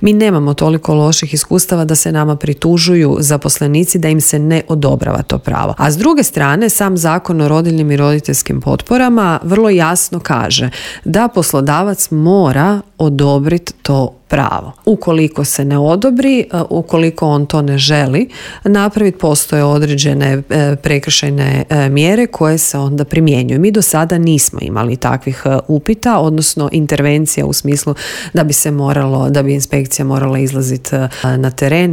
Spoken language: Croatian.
Mi nemamo toliko loših iskustava da se nama pritužuju zaposlenici da im se ne odobrava to pravo. A s druge strane, sam Zakon o rodiljnim i roditeljskim potporama vrlo jasno kaže da poslodavac mora odobriti to pravo. Ukoliko se ne odobri, ukoliko on to ne želi napraviti, postoje određene prekršajne mjere koje se onda primjenjuju. Mi do sada nismo imali takvih upita, odnosno intervencija u smislu da bi inspekcija morala izlaziti na teren